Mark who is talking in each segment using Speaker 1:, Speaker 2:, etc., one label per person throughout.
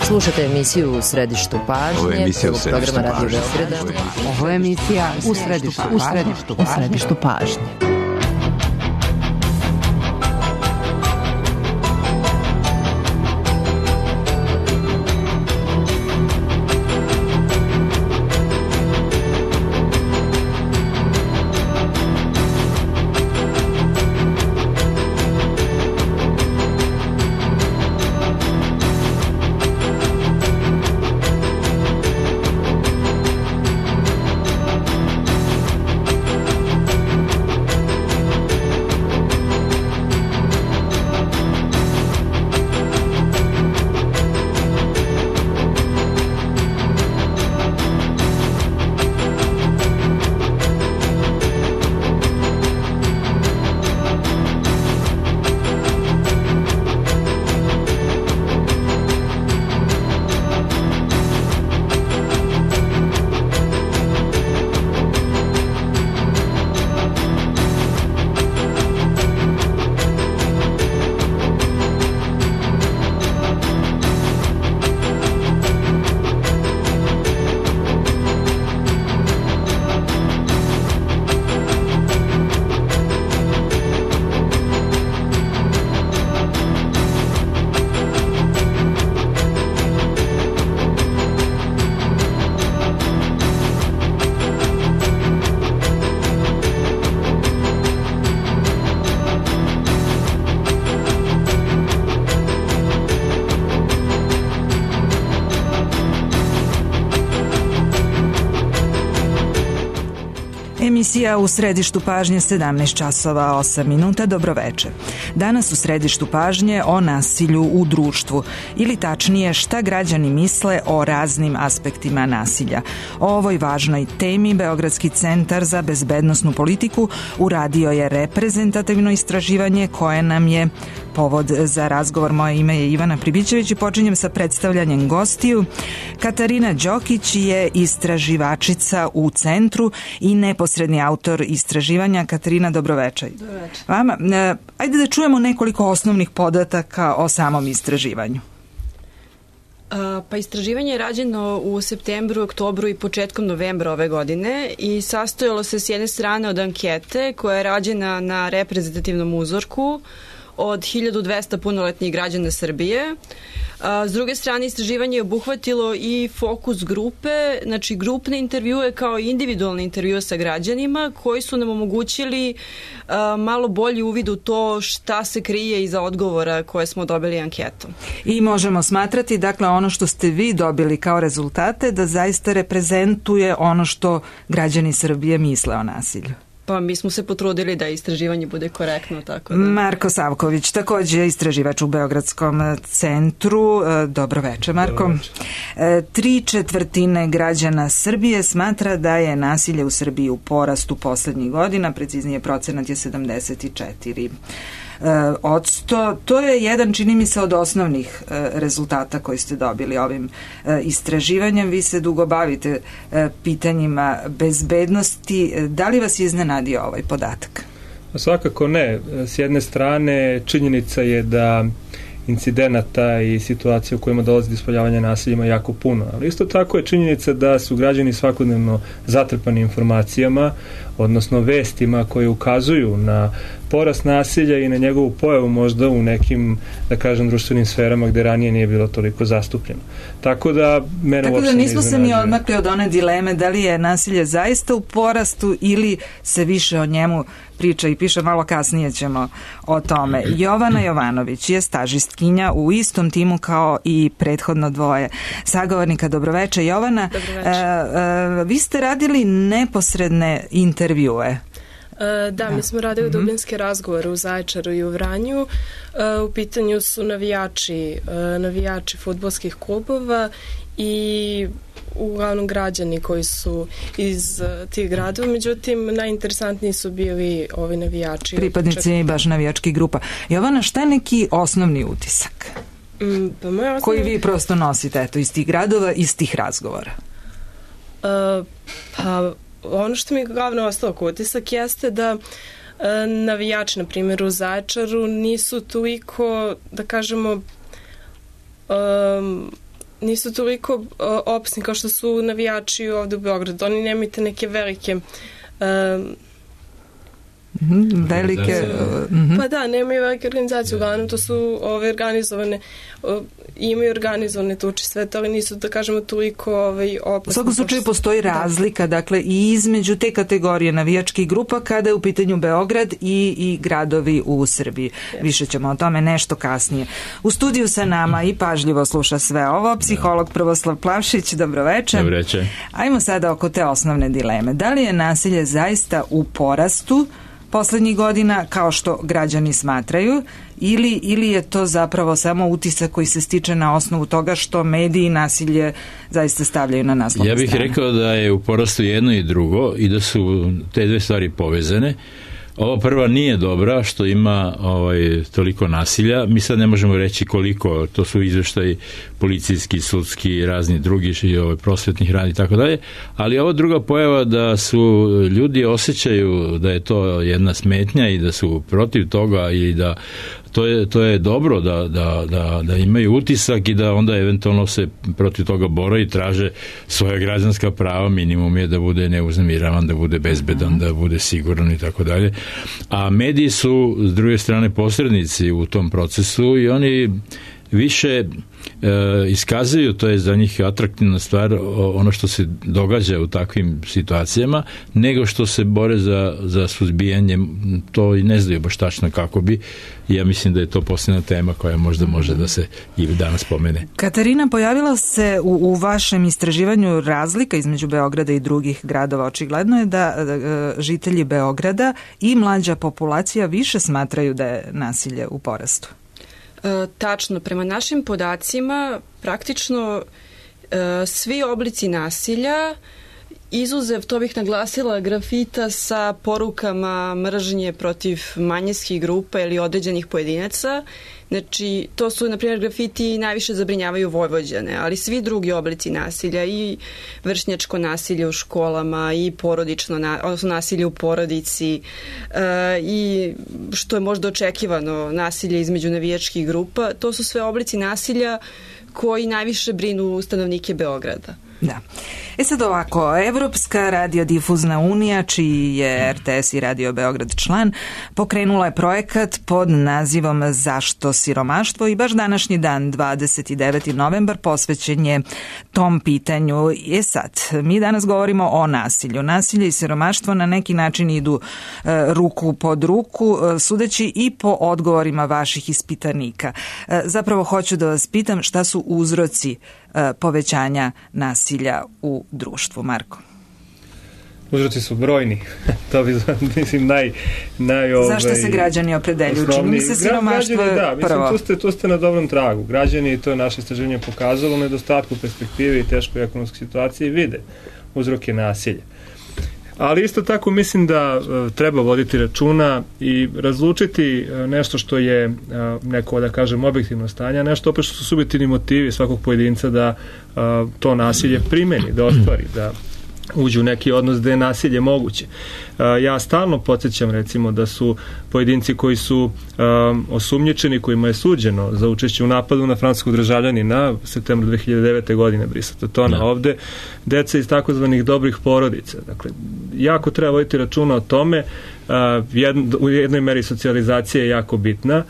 Speaker 1: Slušate emisiju U središtu pažnje, programa Radio Beograda.
Speaker 2: Ovo je emisija U središtu pažnje.
Speaker 3: Emisija U središtu pažnje 17 časova 8 minuta. Dobroveče. Danas u središtu pažnje o nasilju u društvu, ili tačnije šta građani misle o raznim aspektima nasilja. O ovoj važnoj temi Beogradski centar za bezbednosnu politiku uradio je reprezentativno istraživanje koje nam je povod za razgovor. Moje ime je Ivana Pribićević i počinjem sa predstavljanjem gostiju. Katarina Đokić je istraživačica u centru i neposredni autor istraživanja. Katarina, dobroveče.
Speaker 4: Dobroveče.
Speaker 3: Vama, ajde da čujemo nekoliko osnovnih podataka o samom istraživanju.
Speaker 4: Pa istraživanje je rađeno u septembru, oktobru i početkom novembra ove godine i sastojalo se s jedne strane od ankete koja je rađena na reprezentativnom uzorku od 1200 punoletnih građana Srbije. S druge strane, istraživanje je obuhvatilo i fokus grupe, znači grupne intervjue kao i individualne intervjue sa građanima koji su nam omogućili malo bolji uvid u to šta se krije iza odgovora koje smo dobili anketom.
Speaker 3: I možemo smatrati, dakle, ono što ste vi dobili kao rezultate da zaista reprezentuje ono što građani Srbije misle o nasilju.
Speaker 4: Pa mi smo se potrudili da istraživanje bude korektno, tako da.
Speaker 3: Marko Savković, takođe istraživač u Beogradskom centru. Dobroveče, Marko.
Speaker 5: Dobroveče.
Speaker 3: 3/4 građana Srbije smatra da je nasilje u Srbiji u porastu poslednjih godina, preciznije procenat je 74%. To je jedan, čini mi se, od osnovnih rezultata koji ste dobili ovim istraživanjem. Vi se dugo bavite pitanjima bezbednosti. Da li vas je iznenadio ovaj podatak?
Speaker 5: Svakako ne. S jedne strane, činjenica je da incidenata i situacija u kojima dolazi do ispoljavanja nasilja ima jako puno, ali isto tako je činjenica da su građani svakodnevno zatrpani informacijama, odnosno vestima koje ukazuju na porast nasilja i na njegovu pojavu možda u nekim, da kažem, društvenim sferama gde ranije nije bilo toliko zastupljeno. Tako da
Speaker 3: nismo se mi odmakli od one dileme da li je nasilje zaista u porastu ili se više o njemu priča i piše, malo kasnije ćemo o tome. Jovana Jovanović je stažistkinja u istom timu kao i prethodno dvoje sagovornika. Dobroveče, Jovana.
Speaker 4: Dobroveče.
Speaker 3: Vi ste radili neposredne intervjue.
Speaker 6: Da, mi smo radili dubinske razgovore u Zaječaru i u Vranju. U pitanju su navijači fudbalskih klubova i uglavnom građani koji su iz tih gradova, međutim najinteresantniji su bili ovi navijači.
Speaker 3: Pripadnici baš navijačkih grupa. Jovana, šta je neki osnovni utisak? Koji vi prosto nosite iz tih gradova, iz tih razgovora?
Speaker 6: Pa ono što mi glavno ostalo kao utisak jeste da navijači, na primjer u Zaječaru, nisu toliko, da kažemo, nisu toliko opasni kao što su navijači ovde u Beogradu. Oni nemaju te neke velike
Speaker 3: velike...
Speaker 6: Pa da, nemaju velike organizacije, uglavnom to su ove organizovane, imaju organizovane tuče sve, ali nisu, da kažemo, toliko opasne.
Speaker 3: U svakom slučaju postoji razlika, dakle, i između te kategorije navijačkih grupa kada je u pitanju Beograd i gradovi u Srbiji. Više ćemo o tome nešto kasnije. U studiju sa nama i pažljivo sluša sve ovo psiholog Prvoslav Plavšić. Dobroveče.
Speaker 7: Dobroveče.
Speaker 3: Ajmo sada oko te osnovne dileme. Da li je nasilje zaista u porastu poslednjih godina, kao što građani smatraju, ili je to zapravo samo utisak koji se stiče na osnovu toga što mediji nasilje zaista stavljaju na naslovne strane?
Speaker 7: Ja bih rekao da je u porastu jedno i drugo i da su te dve stvari povezane. Ova prva nije dobra što ima toliko nasilja. Mi sad ne možemo reći koliko, to su izveštaji policijski, sudski, razni drugi, prosvetnih radi i tako dalje, ali ova druga pojava da su ljudi osjećaju da je to jedna smetnja i da su protiv toga i da to je dobro da imaju utisak i da onda eventualno se protiv toga bore i traže svoja građanska prava. Minimum je da bude neuznamiravan, da bude bezbedan, da bude siguran i tako dalje. A mediji su s druge strane posrednici u tom procesu i oni više iskazuju, to je za njih atraktivna stvar, ono što se događa u takvim situacijama, nego što se bore za suzbijanje, to i ne znaju baš tačno kako bi. Ja mislim da je to posljedna tema koja možda može da se i danas pomene.
Speaker 3: Katarina, pojavila se u vašem istraživanju razlika između Beograda i drugih gradova. Očigledno je da žitelji Beograda i mlađa populacija više smatraju da je nasilje u porastu.
Speaker 4: Tačno, prema našim podacima praktično svi oblici nasilja, izuzev, to bih naglasila, grafita sa porukama mržnje protiv manjinskih grupa ili određenih pojedinaca. Znači, to su, na primjer, grafiti najviše zabrinjavaju Vojvođane, ali svi drugi oblici nasilja, i vršnjačko nasilje u školama, i porodično, odnosno nasilje u porodici, i što je možda očekivano, nasilje između navijačkih grupa, to su sve oblici nasilja koji najviše brinu stanovnike Beograda.
Speaker 3: Da. Sad ovako, Evropska radiodifuzna unija, čiji je RTS i Radio Beograd član, pokrenula je projekat pod nazivom Zašto siromaštvo i baš današnji dan, 29. novembar, posvećen je tom pitanju. Sad, mi danas govorimo o nasilju. Nasilje i siromaštvo na neki način idu ruku pod ruku, sudeći i po odgovorima vaših ispitanika. Zapravo hoću da vas pitam šta su uzroci povećanja nasilja u društvu. Marko?
Speaker 5: Uzroci su brojni. To bi, mislim,
Speaker 3: Zašto se građani opredeljuju? Čini mi se siromaštvo je prvo.
Speaker 5: Tu ste na dobrom tragu. Građani, to je naše istraživanje pokazalo, u nedostatku perspektive i teškoj ekonomskoj situaciji vide uzroke nasilja. Ali isto tako mislim da treba voditi računa i razlučiti nešto što je neko, da kažem, objektivno stanje, a nešto opet što su subjektivni motivi svakog pojedinca da to nasilje primeni, da ostvari, da uđu u neki odnos gde je nasilje moguće. Ja stalno podsjećam, recimo, da su pojedinci koji su osumnjičeni, kojima je suđeno za učešće u napadu na francuskog državljanina septembra 2009. godine, Brisa Totona, ovde deca iz takozvanih dobrih porodica. Dakle, jako treba voditi računa o tome. U jednoj meri socijalizacija je jako bitna,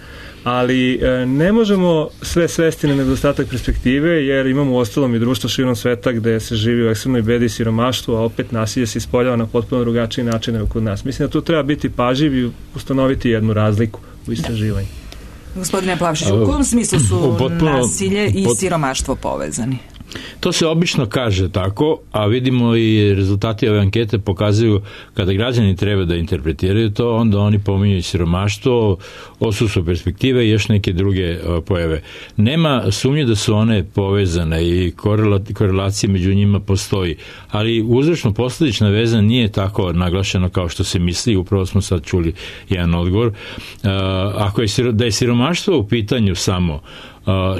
Speaker 5: ali ne možemo sve svesti na nedostatak perspektive, jer imamo u ostalom i društvo širom sveta gde se živi u ekstremnoj bedi i siromaštvu, a opet nasilje se ispoljava na potpuno drugačiji način nego kod nas. Mislim da tu treba biti pažljiv i ustanoviti jednu razliku u istraživanju.
Speaker 3: Gospodine Plavšić, u kom smislu su nasilje i siromaštvo povezani?
Speaker 7: To se obično kaže tako, a vidimo i rezultati ove ankete pokazuju kada građani treba da interpretiraju to, onda oni pominju i siromaštvo, odsustvo perspektive i još neke druge pojave. Nema sumnje da su one povezane i korelacija među njima postoji, ali uzročno-posledična veza nije tako naglašena kao što se misli. Upravo smo sad čuli jedan odgovor. Ako je da je siromaštvo u pitanju samo,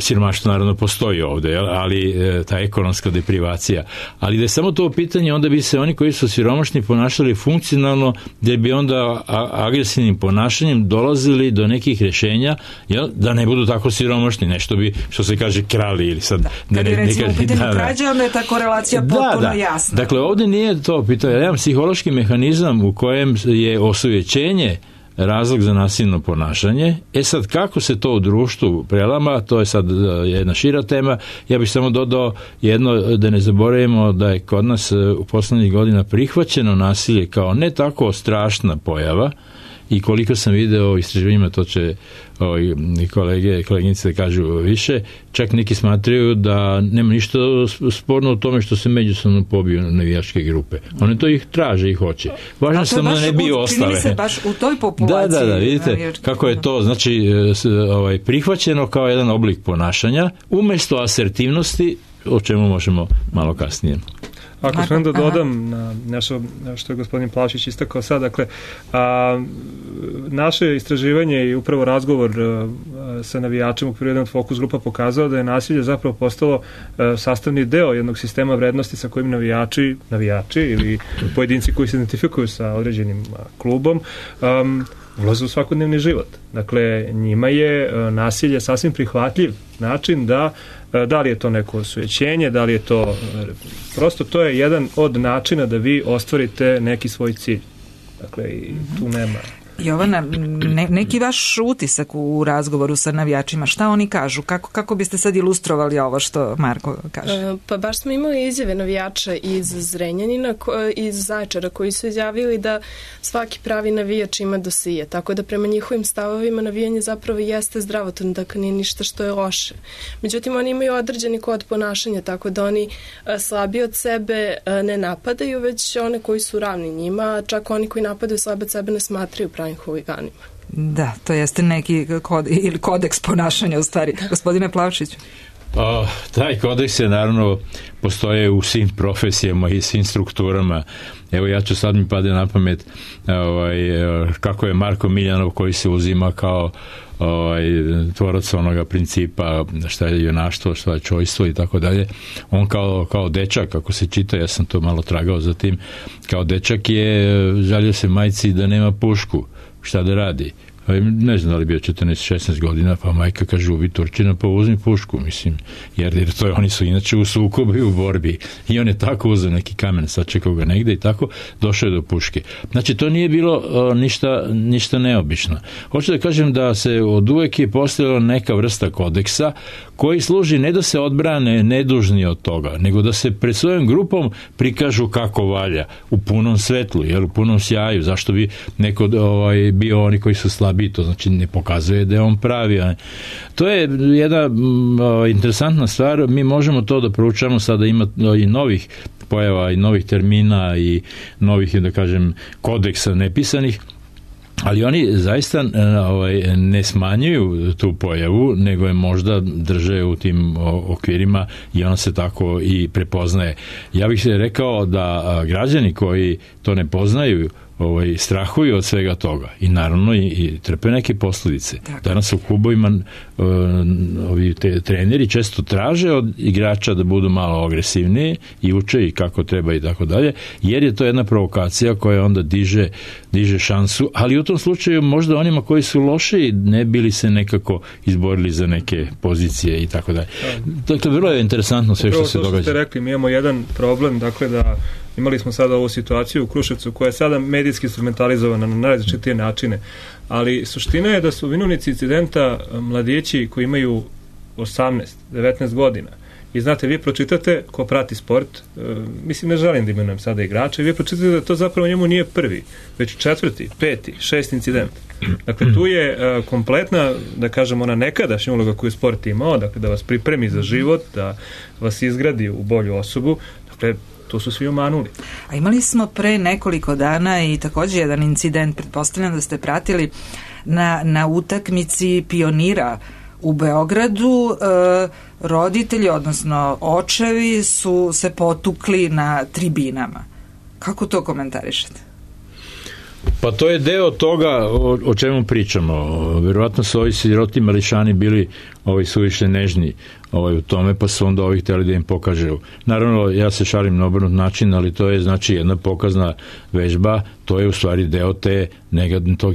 Speaker 7: siromaštvo naravno postoji ovde, ali ta ekonomska deprivacija. Ali da je samo to pitanje, onda bi se oni koji su siromašni ponašali funkcionalno, da bi onda agresivnim ponašanjem dolazili do nekih rješenja, da ne budu tako siromašni, nešto bi, što se kaže, krali ili sad...
Speaker 3: Kad je recimo u pitanju krađe, onda je ta korelacija potpuno jasna.
Speaker 7: Dakle, ovde nije to pitanje. Jedan psihološki mehanizam u kojem je osvećenje razlog za nasilno ponašanje. Sad, kako se to u društvu prelama, to je sad jedna šira tema. Ja bih samo dodao jedno, da ne zaboravimo da je kod nas u poslednjih godina prihvaćeno nasilje kao ne tako strašna pojava, i koliko sam video u istraživanjima, to će koleginice da kažu više, čak neki smatraju da nema ništa sporno u tome što se međusobno pobiju navijačke grupe. One to ih traže i hoće. Važno samo da ne bi ostale.
Speaker 3: Čini se baš u toj populaciji.
Speaker 7: Da, vidite kako je to, znači, prihvaćeno kao jedan oblik ponašanja, umesto asertivnosti, o čemu možemo malo kasnije.
Speaker 5: Ako sam da dodam na nešto što je gospodin Plavšić istakao sad, dakle, naše istraživanje i upravo razgovor sa navijačima u okviru jednog fokus grupa pokazao da je nasilje zapravo postalo sastavni deo jednog sistema vrednosti sa kojim navijači ili pojedinci koji se identifikuju sa određenim klubom ulaze u svakodnevni život. Dakle, njima je nasilje sasvim prihvatljiv način da li je to neko osvećenje, da li je to prosto to je jedan od načina da vi ostvarite neki svoj cilj. Dakle, i tu nema...
Speaker 3: Jovana, neki vaš utisak u razgovoru sa navijačima, šta oni kažu? Kako biste sad ilustrovali ovo što Marko kaže?
Speaker 6: Pa baš smo imali izjave navijača iz Zrenjanina, iz Zaječara, koji su izjavili da svaki pravi navijač ima dosije, tako da prema njihovim stavovima navijanje zapravo jeste zdravotvorno, dakle nije ništa što je loše. Međutim, oni imaju određeni kod ponašanja, tako da oni slabiji od sebe ne napadaju, već one koji su ravni njima, čak oni koji napadaju slabe od sebe ne smatraju pravim huliganima.
Speaker 3: Da, to jeste neki kodeks ponašanja u stvari. Gospodine Plavšiću.
Speaker 7: Taj kodeks je naravno postoje u svim profesijama i svim strukturama. Evo, ja ću sad mi pade na pamet kako je Marko Miljanov, koji se uzima kao tvorac onoga principa šta je junaštvo, šta je čojstvo i tako dalje. On kao dečak, ako se čita, ja sam to malo tragao za tim, kao dečak je žalio se majci da nema pušku, šta da radi. Ne znam da li bio 14-16 godina, pa majka kaže, ubi Turčina, pa uzmi pušku, mislim, jer to je, oni su inače u sukobu i u borbi, i on je tako uzeo neki kamen, sačekao ga negde i tako došao je do puške. Znači, to nije bilo ništa neobično. Hoću da kažem da se od uvek je postojala neka vrsta kodeksa koji služi ne da se odbrane nedužni od toga, nego da se pred svojom grupom prikažu kako valja, u punom svetlu, jer u punom sjaju. Zašto bi neko bio oni koji su slabi, to znači ne pokazuje da je on pravi. To je jedna interesantna stvar, mi možemo to da proučamo, sada ima i novih pojava i novih termina i novih, da kažem, kodeksa nepisanih, ali oni zaista ne smanjuju tu pojavu, nego je možda drže u tim okvirima i ona se tako i prepoznaje. Ja bih se rekao da građani koji to ne poznaju strahuju od svega toga i naravno i trpe neke posljedice. Danas u klubovima ovi treneri često traže od igrača da budu malo agresivniji i uče i kako treba i tako dalje, jer je to jedna provokacija koja onda diže šansu, ali u tom slučaju možda onima koji su loši ne bili se nekako izborili za neke pozicije i tako dalje. Dakle, vrlo je interesantno sve što se događa.
Speaker 5: Što ste rekli, mi imamo jedan problem, dakle da imali smo sada ovu situaciju u Kruševcu koja je sada medijski instrumentalizovana na najrazličitije načine, ali suština je da su vinovnici incidenta mladići koji imaju 18, 19 godina. I znate, vi pročitate, ko prati sport, mislim, ne želim da imenujem sada igrača, i vi pročitate da to zapravo njemu nije prvi, već 4., 5., 6. incident. Dakle, tu je kompletna, da kažem, ona nekadašnja uloga koju sport imao, dakle, da vas pripremi za život, da vas izgradi u bolju osobu. Dakle, to su svi omanuli.
Speaker 3: A imali smo pre nekoliko dana i također jedan incident, pretpostavljam da ste pratili, na utakmici Pionira u Beogradu. Roditelji, odnosno očevi, su se potukli na tribinama. Kako to komentarišete?
Speaker 7: Pa to je deo toga o čemu pričamo. Verovatno su ovi siroti mališani bili suviše nežni u tome, pa su onda ovi hteli da im pokažu. Naravno, ja se šalim na obrnut način, ali to je znači jedna pokazna vežba, to je u stvari deo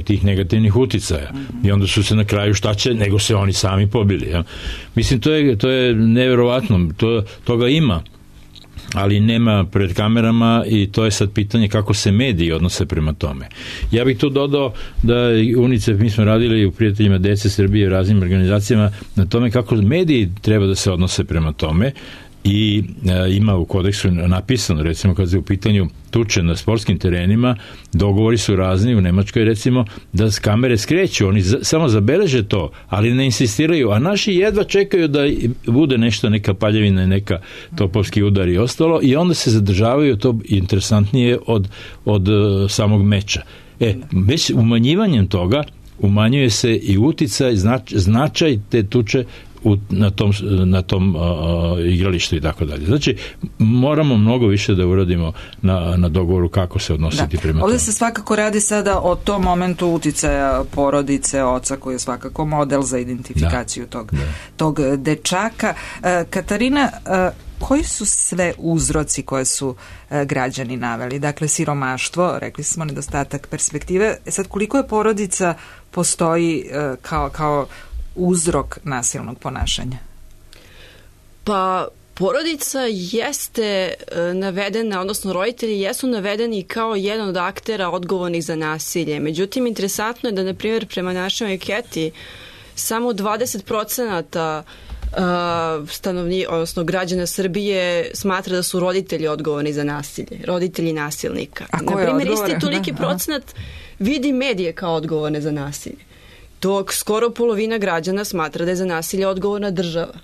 Speaker 7: tih negativnih uticaja. I onda su se na kraju šta će, nego se oni sami pobili. Ja. Mislim, to je neverovatno, toga ima, ali nema pred kamerama i to je sad pitanje kako se mediji odnose prema tome. Ja bih tu dodao da UNICEF, mi smo radili u Prijateljima dece Srbije u raznim organizacijama na tome kako mediji treba da se odnose prema tome i ima u kodeksu napisano, recimo kad se u pitanju tuče na sportskim terenima, dogovori su razni u Nemačkoj, recimo, da s kamere skreću, oni samo zabeleže to, ali ne insistiraju, a naši jedva čekaju da bude nešto, neka paljevina, neka topovski udar i ostalo, i onda se zadržavaju, to interesantnije od samog meča. Već umanjivanjem toga umanjuje se i uticaj, značaj te tuče na tom igralištu i tako dalje. Znači, moramo mnogo više da uradimo na dogovoru kako se odnositi prema tome.
Speaker 3: Ovdje se svakako radi sada o tom momentu uticaja porodice, oca koji je svakako model za identifikaciju tog dečaka. Katarina, koji su sve uzroci koje su građani naveli? Dakle, siromaštvo, rekli smo, nedostatak perspektive. Sad, koliko je porodica postoji kao uzrok nasilnog ponašanja?
Speaker 4: Pa, porodica jeste navedena, odnosno roditelji jesu navedeni kao jedan od aktera odgovornih za nasilje. Međutim, interesantno je da, na primjer, prema našoj anketi, samo 20% odnosno građana Srbije smatra da su roditelji odgovorni za nasilje, roditelji nasilnika. Na primjer, isti toliki procenat vidi medije kao odgovorne za nasilje, dok skoro polovina građana smatra da je za nasilje odgovorna država.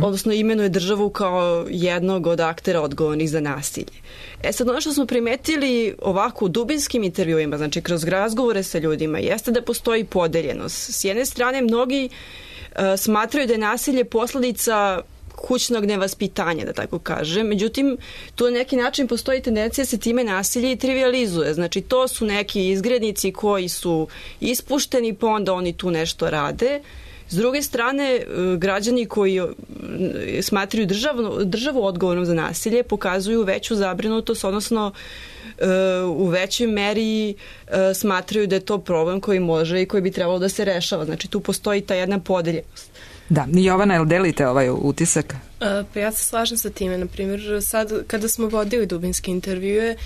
Speaker 4: Odnosno imenuje državu kao jednog od aktera odgovornih za nasilje. Sad, ono što smo primetili ovako u dubinskim intervjuima, znači kroz razgovore sa ljudima, jeste da postoji podeljenost. S jedne strane, mnogi smatraju da je nasilje posledica kućnog nevaspitanja, da tako kažem. Međutim, tu na neki način postoji tendencija da se time nasilje i trivializuje. Znači, to su neki izgrednici koji su ispušteni, pa onda oni tu nešto rade. S druge strane, građani koji smatraju državu odgovornom za nasilje pokazuju veću zabrinutost, odnosno u većoj meri smatraju da je to problem koji može i koji bi trebalo da se rešava. Znači, tu postoji ta jedna podeljenost.
Speaker 3: Da, Jovana, jel delite ovaj utisak?
Speaker 6: Pa ja se slažem sa time. Naprimjer, sad kada smo vodili dubinske intervjue,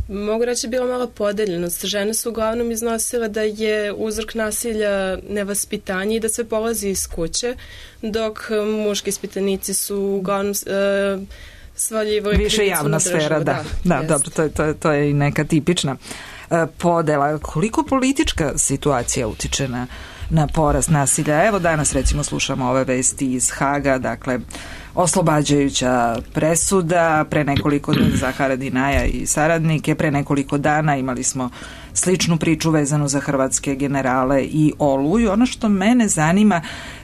Speaker 6: mogu reći bila mala podeljenost. Žene su uglavnom iznosile da je uzrok nasilja nevaspitanje i da sve polazi iz kuće, dok muški ispitanici su uglavnom svaljivali
Speaker 3: više javna sfera, da, dobro, to je i neka tipična podela. Koliko politička situacija utiče na porast nasilja? Evo danas recimo slušamo ove vesti iz Haga, dakle oslobađajuća presuda pre nekoliko dana za Haradinaja i saradnike, pre nekoliko dana imali smo sličnu priču vezanu za hrvatske generale i Oluju. Ono što mene zanima,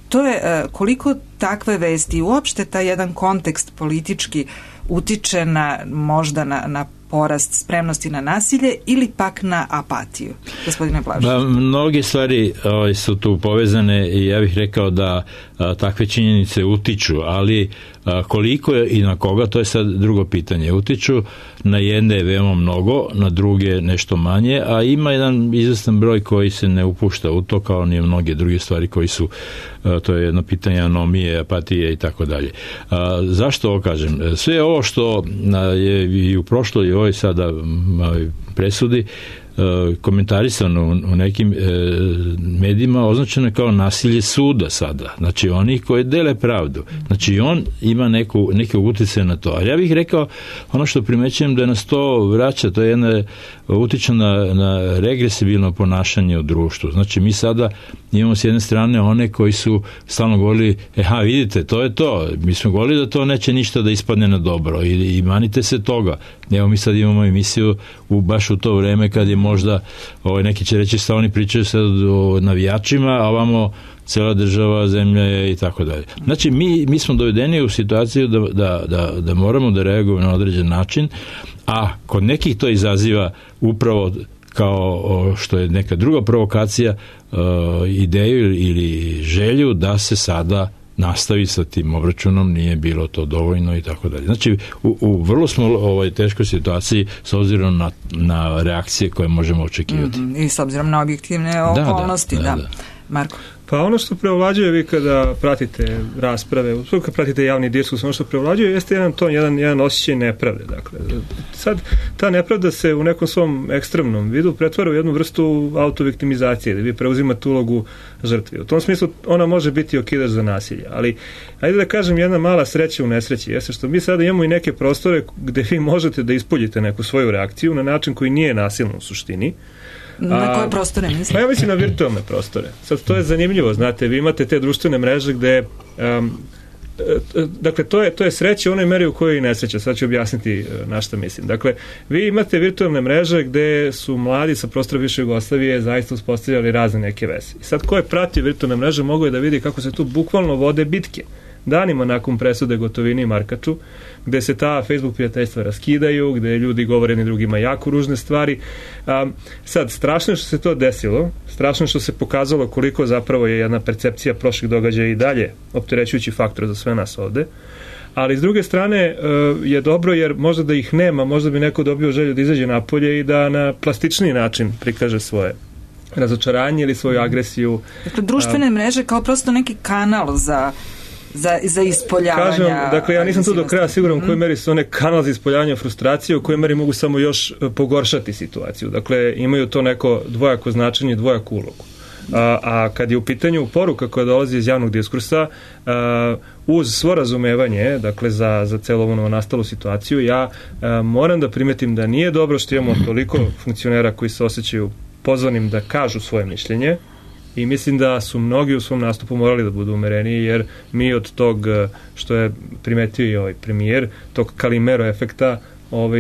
Speaker 3: to je koliko takve vesti, uopšte taj jedan kontekst politički utiče možda na porast spremnosti na nasilje ili pak na apatiju, gospodine Blažić?
Speaker 7: Mnoge stvari su tu povezane i ja bih rekao da takve činjenice utiču, ali koliko je i na koga, to je sad drugo pitanje. Utiču na jedne veoma mnogo, na druge nešto manje, a ima jedan izvestan broj koji se ne upušta u to, kao ni mnoge druge stvari koji su, to je jedno pitanje anomije, apatije i tako dalje. Zašto ovo kažem? Sve ovo što je i u prošloj i ovoj sada presudi komentarisano u nekim medijima, označeno je kao nasilje suda sada. Znači, oni koji dele pravdu. Znači, on ima neke uticaje na to. A ja bih rekao, ono što primećujem da nas to vraća, to je jedna utiče na regresibilno ponašanje u društvu. Znači, mi sada imamo s jedne strane one koji su stalno govorili, vidite, to je to. Mi smo govorili da to neće ništa da ispadne na dobro i manite se toga. Evo, mi sad imamo emisiju baš u to vreme kad je možda, neki će reći šta oni pričaju sad o navijačima, a ovamo cela država, zemlja je i tako dalje. Znači, mi smo dovedeni u situaciju da moramo da reagujemo na određen način, a kod nekih to izaziva upravo kao što je neka druga provokacija, ideju ili želju da se sada nastavi sa tim obračunom, nije bilo to dovoljno i tako dalje. Znači, u vrlo smo teškoj situaciji s obzirom na reakcije koje možemo očekivati.
Speaker 3: I s obzirom na objektivne okolnosti. Da. Marko?
Speaker 5: Pa ono što preovlađuje, vi kada pratite rasprave, kada pratite javni diskurs, ono što preovlađuje jeste jedan osjećaj nepravde. Dakle, sad ta nepravda se u nekom svom ekstremnom vidu pretvara u jednu vrstu autoviktimizacije, da vi preuzimate ulogu žrtve. U tom smislu ona može biti okidač za nasilje, ali ajde da kažem, jedna mala sreća u nesreći jeste što mi sada imamo i neke prostore gde vi možete da ispoljite neku svoju reakciju na način koji nije nasilno u suštini.
Speaker 3: Na koje prostore mislite?
Speaker 5: Pa ja mislim na virtualne prostore. Sad, to je zanimljivo, znate, vi imate te društvene mreže gde dakle, to je sreća u onoj meri u kojoj i nesreća. Sad ću objasniti na šta mislim. Dakle, vi imate virtualne mreže gde su mladi sa prostora bivše Jugoslavije zaista uspostavljali razne neke veze. I sad, ko je pratio virtualne mreže mogao je da vidi kako se tu bukvalno vode bitke. Danima nakon presude Gotovini i Markaču, gde se ta Facebook prijateljstva raskidaju, gde ljudi govore jedni drugima jako ružne stvari. Sad, strašno je što se to desilo, strašno je što se pokazalo koliko zapravo je jedna percepcija prošlih događaja i dalje opterećujući faktor za sve nas ovde. Ali s druge strane je dobro jer možda da ih nema, možda bi neko dobio želju da izađe napolje i da na plastičniji način prikaže svoje razočaranje ili svoju agresiju.
Speaker 3: Dakle, društvene mreže kao prosto neki kanal za ispoljavanja.
Speaker 5: Kažem, dakle, ja nisam tu do kraja siguran u kojoj meri su one kanal za ispoljavanje frustracije, u kojoj meri mogu samo još pogoršati situaciju. Dakle, imaju to neko dvojako značenje, dvojaku ulogu. A kad je u pitanju poruka koja dolazi iz javnog diskursa, uz svo razumevanje, dakle, za celu ovu nastalu situaciju, ja moram da primetim da nije dobro što imamo toliko funkcionera koji se osjećaju pozvanim da kažu svoje mišljenje. I mislim da su mnogi u svom nastupu morali da budu umereniji, jer mi od tog, što je primetio i ovaj premijer, tog Kalimero efekta,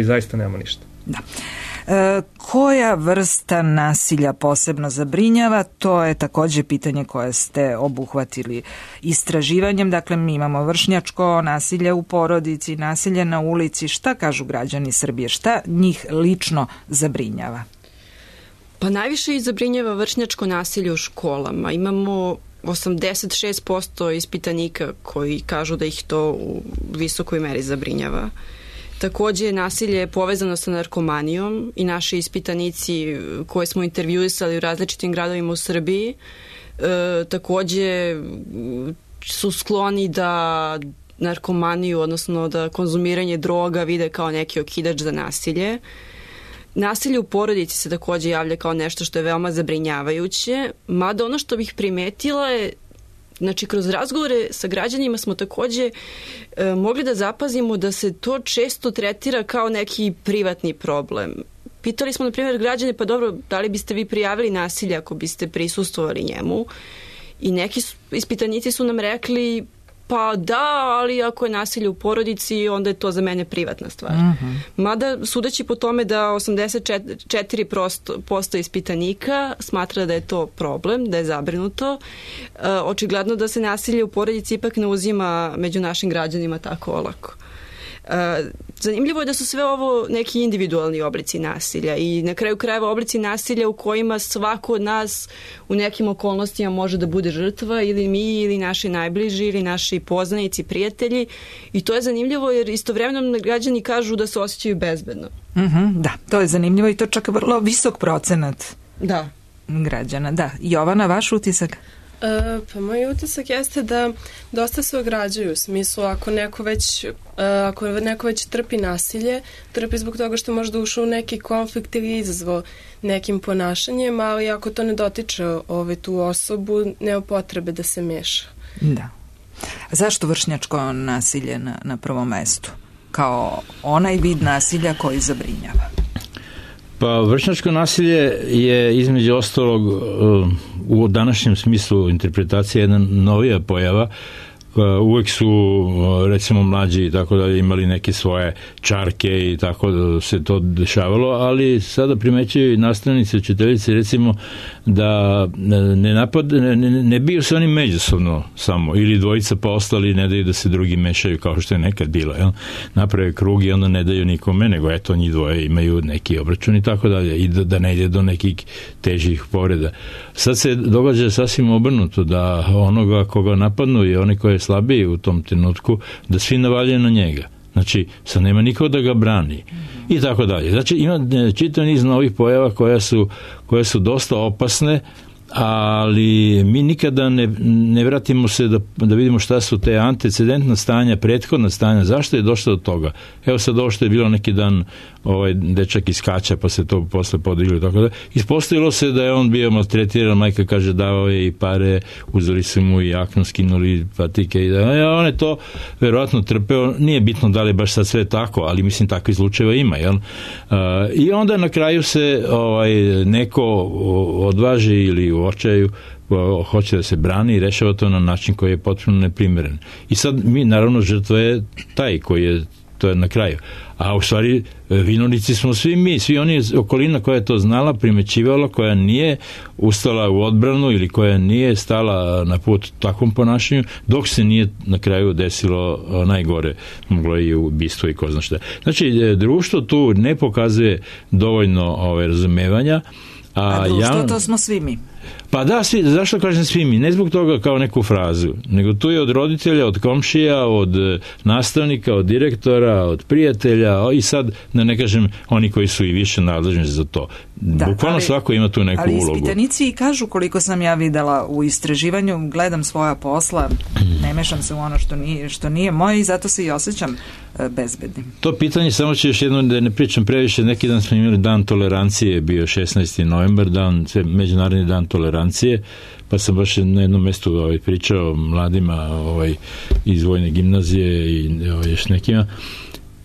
Speaker 5: zaista nema ništa.
Speaker 3: Da. Koja vrsta nasilja posebno zabrinjava? To je takođe pitanje koje ste obuhvatili istraživanjem. Dakle, mi imamo vršnjačko nasilje u porodici, nasilje na ulici. Šta kažu građani Srbije? Šta njih lično zabrinjava?
Speaker 4: Pa najviše i zabrinjava vršnjačko nasilje u školama. Imamo 86% ispitanika koji kažu da ih to u visokoj meri zabrinjava. Takođe, nasilje je povezano sa narkomanijom i naši ispitanici koje smo intervjuisali u različitim gradovima u Srbiji takođe su skloni da narkomaniju, odnosno da konzumiranje droga vide kao neki okidač za nasilje. Nasilje u porodici se takođe javlja kao nešto što je veoma zabrinjavajuće, mada ono što bih primetila je, znači kroz razgovore sa građanima smo takođe mogli da zapazimo da se to često tretira kao neki privatni problem. Pitali smo, na primjer, građane, pa dobro, da li biste vi prijavili nasilje ako biste prisustvovali njemu? I neki ispitanici su nam rekli, pa da, ali ako je nasilje u porodici, onda je to za mene privatna stvar. Mada, sudeći po tome da 84% ispitanika smatra da je to problem, da je zabrinuto, očigledno da se nasilje u porodici ipak ne uzima među našim građanima tako olako. Zanimljivo je da su sve ovo neki individualni oblici nasilja i na kraju krajeva oblici nasilja u kojima svako od nas u nekim okolnostima može da bude žrtva, ili mi, ili naši najbliži, ili naši poznanici, prijatelji, i to je zanimljivo jer istovremeno građani kažu da se osjećaju bezbedno.
Speaker 3: Da, to je zanimljivo i to čak vrlo visok procenat građana. Da. Jovana, vaš utisak?
Speaker 6: Pa moj utisak jeste da dosta se ograđuju u smislu ako neko već trpi nasilje, trpi zbog toga što možda ušao u neki konflikt ili izazvao nekim ponašanjem, ali ako to ne dotiče tu osobu, nema potrebe da se meša.
Speaker 3: Da. Zašto vršnjačko nasilje na prvom mestu? Kao onaj vid nasilja koji zabrinjava?
Speaker 7: Pa vršnjačko nasilje je između ostalog u današnjem smislu interpretacije jedna novija pojava. Uvek su recimo mlađi i tako da imali neke svoje čarke i tako da se to dešavalo, ali sada primećuju i nastavnice, učiteljice recimo da ne biju se oni međusobno samo, ili dvojica pa ostali ne daju da se drugi mešaju kao što je nekad bilo, jel? Naprave krug i onda ne daju nikome, nego eto njih dvoje imaju neki obračun i tako dalje, i da ne ide do nekih težih povreda. Sad se događa sasvim obrnuto, da onoga koga napadnu i oni koji je slabiji u tom trenutku, da svi navaljaju na njega. Znači, sad nema niko da ga brani. I tako dalje. Znači, ima čitav niz novih pojava koje su dosta opasne, ali mi nikada ne vratimo se da vidimo šta su te antecedentna stanja, prethodna stanja, zašto je došlo do toga. Evo sad ovo što je bilo neki dan, dečak iskača pa se to posle podiglo, tako da ispostavilo se da je on bio maltretiran, majka kaže davao je i pare, uzeli su mu i jaknu, skinuli patike i on je to verovatno trpeo, nije bitno da li je baš sad sve tako, ali mislim takvih slučajeva ima, jel? I onda na kraju se neko odvaži ili u očaju hoće da se brani i rešava to na način koji je potpuno neprimeren. I sad mi, naravno, žrtva je taj koji je to je na kraju. A u stvari vinovnici smo svi mi, svi oni okolina koja je to znala, primećivala, koja nije ustala u odbranu ili koja nije stala na put takvom ponašanju, dok se nije na kraju desilo najgore, moglo i ubistvo i ko zna šta. Znači, društvo tu ne pokazuje dovoljno razumevanja.
Speaker 3: A društvo to smo svi mi.
Speaker 7: Pa da, zašto kažem svi mi? Ne zbog toga kao neku frazu, nego tu je od roditelja, od komšija, od nastavnika, od direktora, od prijatelja i sad, da ne kažem, oni koji su i više nadležni za to. Da, bukvalno svako ima tu neku ulogu.
Speaker 3: Ali ispitanici kažu, koliko sam ja videla u istraživanju, gledam svoja posla, ne mešam se u ono što nije moje i zato se i osjećam bezbednim.
Speaker 7: To pitanje, samo ću još jedno da ne pričam previše, neki dan smo imali dan tolerancije, bio 16. novembar, međunarodni dan tolerancije, pa sam baš na jednom mestu pričao mladima iz vojne gimnazije i još nekima,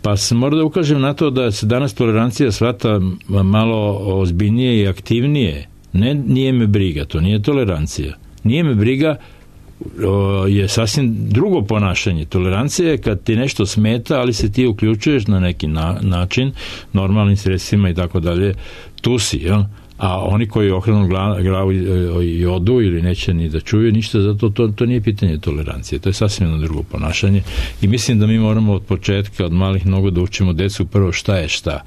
Speaker 7: pa sam morao da ukažem na to da se danas tolerancija shvata malo ozbiljnije i aktivnije. Nije me briga, to nije tolerancija. Nije me briga je sasvim drugo ponašanje. Tolerancija je kad ti nešto smeta, ali se ti uključuješ na neki način, normalnim sredstvima i tako dalje, tu si, jel? A oni koji okrenu glavu i odu ili neće ni da čuju ništa, zato to nije pitanje tolerancije, to je sasvim jedno drugo ponašanje i mislim da mi moramo od početka, od malih nogu da učimo decu prvo šta je šta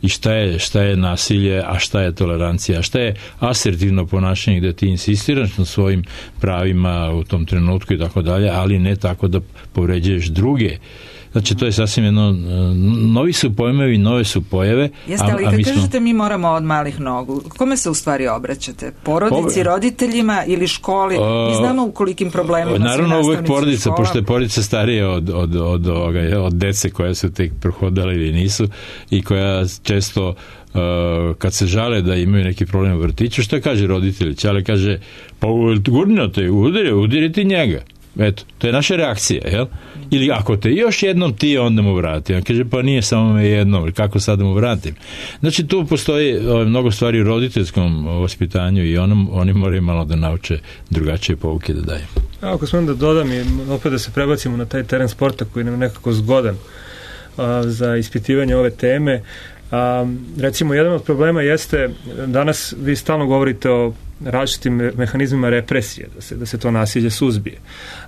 Speaker 7: i šta je nasilje, a šta je tolerancija, a šta je asertivno ponašanje gde ti insistiraš na svojim pravima u tom trenutku i tako dalje, ali ne tako da povređuješ druge. Znači, to je sasvim jedno, novi su pojmovi, nove su pojave.
Speaker 3: Jeste, ali kad kažete mi moramo od malih nogu, kome se u stvari obraćate? Porodici, roditeljima ili školi? Mi znamo u kolikim problemima su
Speaker 7: naravno uvek porodica, pošto je porodica starija od dece koja su tek prohodale ili nisu i koja često kad se žale da imaju neki problem u vrtiću, šta kaže roditelj? Čale kaže, pa gurnio te, udiri ti njega. Eto, to je naša reakcija, jel? Ili ako te još jednom ti, onda mu vrati. On kaže, pa nije samo me jednom, kako sad mu vratim? Znači, tu postoji mnogo stvari u roditeljskom vaspitanju i oni moraju malo da nauče drugačije pouke da daju.
Speaker 5: Ako smem da dodam i opet da se prebacimo na taj teren sporta koji nam je nekako zgodan za ispitivanje ove teme. Recimo, jedan od problema jeste, danas vi stalno govorite o različitim mehanizmima represije, da se to nasilje suzbije.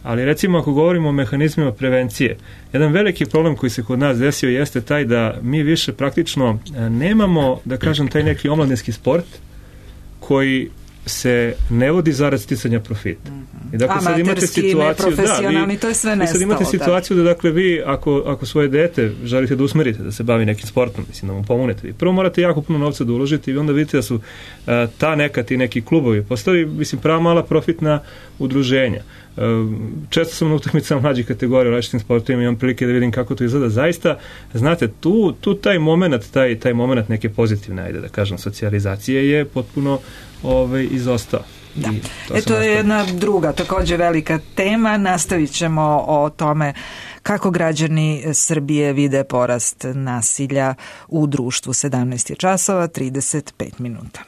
Speaker 5: Ali recimo ako govorimo o mehanizmima prevencije, jedan veliki problem koji se kod nas desio jeste taj da mi više praktično nemamo, da kažem, taj neki omladinski sport koji se ne vodi zarad sticanja profita. I dakle, sad imate situaciju,
Speaker 3: to je sve nestalo.
Speaker 5: Sad imate situaciju da dakle vi, ako svoje dete želite da usmerite, da se bavi nekim sportom, mislim da mu pomognete, vi prvo morate jako puno novca da uložite i onda vidite da su ti neki klubovi postali, mislim, prava mala profitna udruženja. Često sam na utakmicama mlađih kategorija u različitim sportovima i imam prilike da vidim kako to izgleda. Zaista, znate, tu taj moment neke pozitivne, ajde da kažem, socijalizacije je potpuno izostao.
Speaker 3: Da. To je jedna druga, takođe velika tema. Nastavit ćemo o tome kako građani Srbije vide porast nasilja u društvu. 17 je časova, 35 minuta.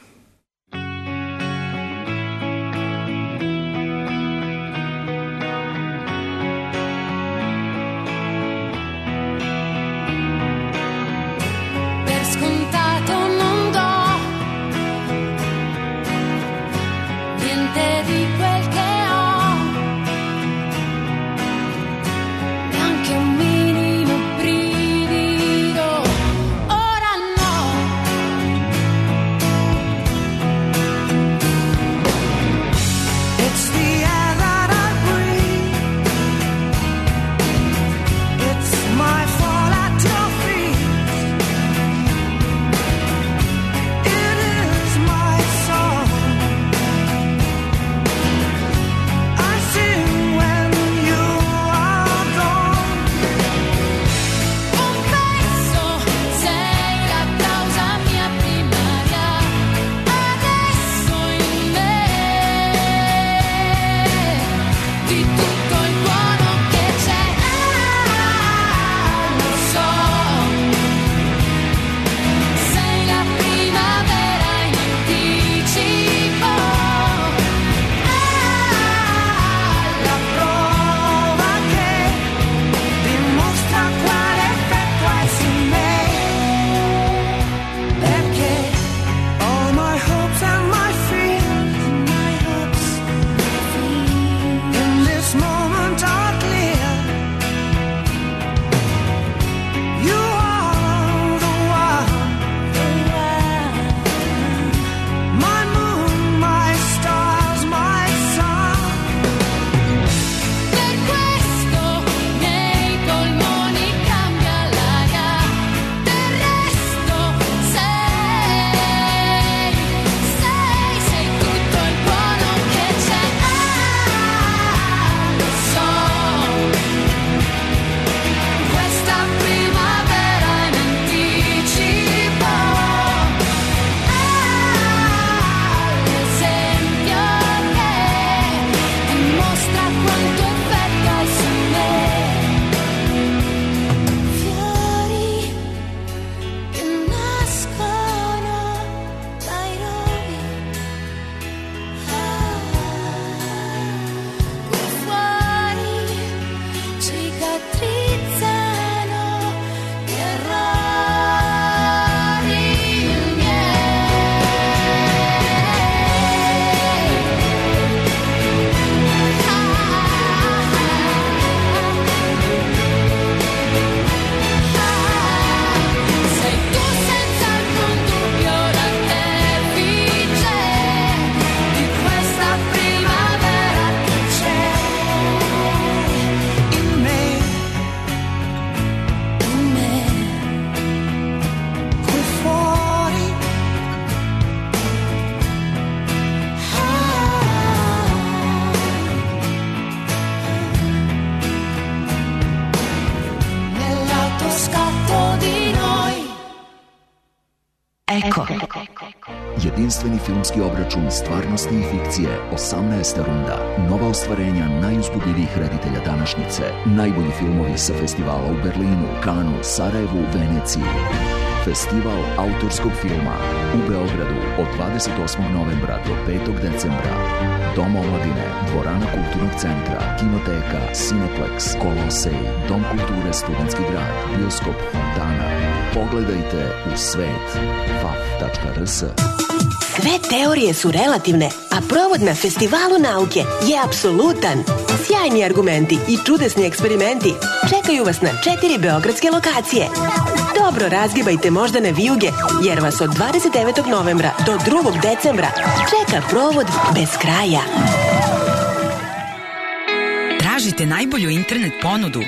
Speaker 8: quanto effetto su me. Fiori che nascono dai rovi, qui fuori cicatrizzano gli errori miei. Sei tu senza alcun dubbio l'artefice di questa primavera che c'è in me, qui fuori. Nell'autoscatto di noi.
Speaker 2: Eko.
Speaker 9: Jedinstveni filmski obračun stvarnosti i fikcije, 18. runda, nova ostvarenja najuzbudljivijih reditelja današnjice, najbolji filmovi sa festivala u Berlinu, Kanu, Sarajevu, Veneciji. Festival autorskog filma u Beogradu od 28. novembra do 5. decembra. Dom omladine, dvorana kulturnog centra, kinoteka, Cineplex, Kolosej, Dom kulture Studentski grad, bioskop Fontana. Pogledajte u svet faf.rs.
Speaker 10: Sve teorije su relativne, a provod na Festivalu nauke je apsolutan. Sjajni argumenti i čudesni eksperimenti čekaju vas na 4 beogradske lokacije. Dobro razgibajte moždane vijuge, jer vas od 29. novembra do 2. decembra čeka provod bez kraja.
Speaker 11: Tražite najbolju internet ponudu?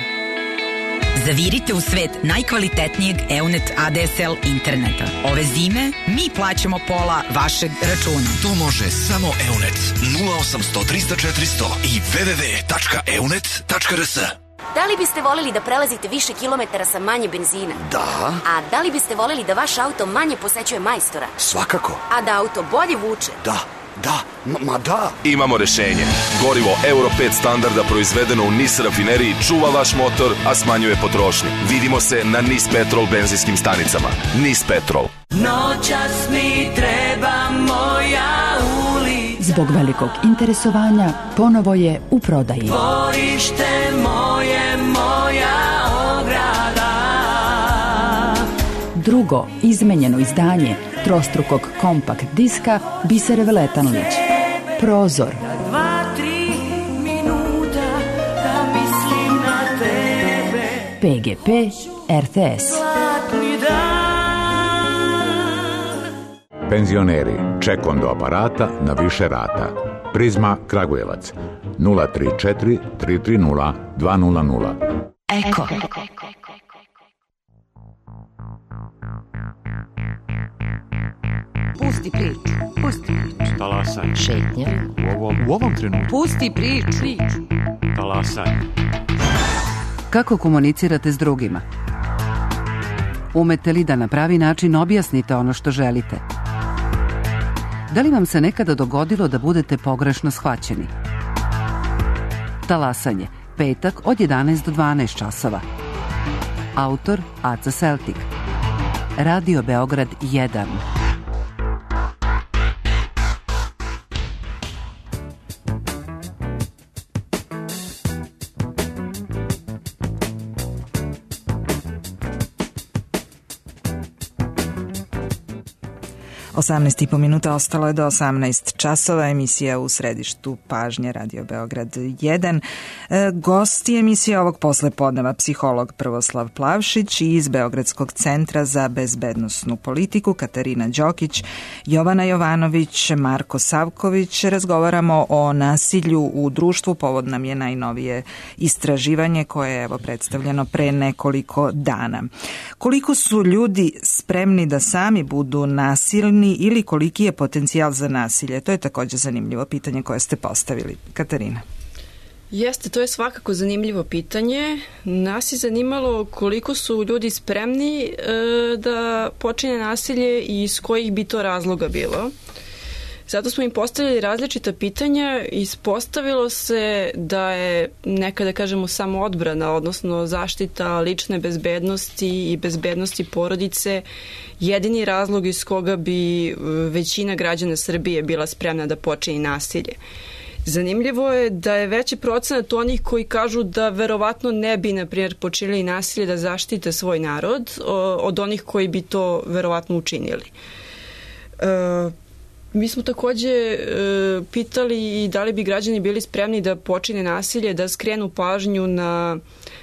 Speaker 11: Zavirite u svet najkvalitetnijeg EUNET ADSL interneta. Ove zime mi plaćamo pola vašeg računa.
Speaker 12: To može samo EUNET 0800 300 400 i www.eunet.rs.
Speaker 13: Da li biste voljeli da prelazite više kilometara sa manje benzina?
Speaker 12: Da.
Speaker 13: A da li biste voljeli da vaš auto manje posećuje majstora?
Speaker 12: Svakako.
Speaker 13: A da auto bolje vuče?
Speaker 12: Da. Da. Imamo rešenje. Gorivo Euro 5 standarda proizvedeno u NIS rafineriji čuva vaš motor, a smanjuje potrošnju. Vidimo se na NIS Petrol benzinskim stanicama. NIS Petrol.
Speaker 14: Noćas mi treba moja ulica.
Speaker 2: Zbog velikog interesovanja ponovo je u prodaji.
Speaker 14: Dvorište moje, moja ograda.
Speaker 2: Drugo izmenjeno izdanje trostrukog kompakt diska Bisere Veletanović. Prozor.
Speaker 14: 2-3 minuta da mislim na tebe.
Speaker 2: PGP RTS.
Speaker 14: Zlatni dan.
Speaker 15: Penzioneri, ček do aparata na više rata. Prizma Kragujevac 034 330 200.
Speaker 2: Eko.
Speaker 1: Pusti priču.
Speaker 16: Talasaj.
Speaker 1: Šetnja.
Speaker 16: U ovom trenutku.
Speaker 1: Pusti priču.
Speaker 16: Talasaj.
Speaker 2: Kako komunicirate s drugima? Umete li da na pravi način objasnite ono što želite? Da li vam se nekada dogodilo da budete pogrešno shvaćeni? Talasanje, petak od 11 do 12 časova. Autor Aca Celtic. Radio Beograd 1.
Speaker 3: Osamnaest i po minuta, ostalo je do 18 časova, emisija u središtu pažnje Radio Beograd 1. Gosti emisije ovog poslepodneva psiholog Prvoslav Plavšić i iz Beogradskog centra za bezbednosnu politiku Katarina Đokić, Jovana Jovanović, Marko Savković. Razgovaramo o nasilju u društvu, povod nam je najnovije istraživanje koje je predstavljeno pre nekoliko dana. Koliko su ljudi spremni da sami budu nasilni ili koliki je potencijal za nasilje? To je također zanimljivo pitanje koje ste postavili. Katarina.
Speaker 4: Jeste, to je svakako zanimljivo pitanje. Nas je zanimalo koliko su ljudi spremni da počine nasilje i iz kojih bi to razloga bilo. Zato smo im postavili različita pitanja i ispostavilo se da je neka, da kažemo, samoodbrana, odnosno zaštita lične bezbednosti i bezbednosti porodice jedini razlog iz koga bi većina građana Srbije bila spremna da počini nasilje. Zanimljivo je da je veći procenat onih koji kažu da verovatno ne bi, na primjer, počinili nasilje da zaštite svoj narod od onih koji bi to verovatno učinili. Mi smo takođe pitali i da li bi građani bili spremni da počine nasilje, da skrenu pažnju na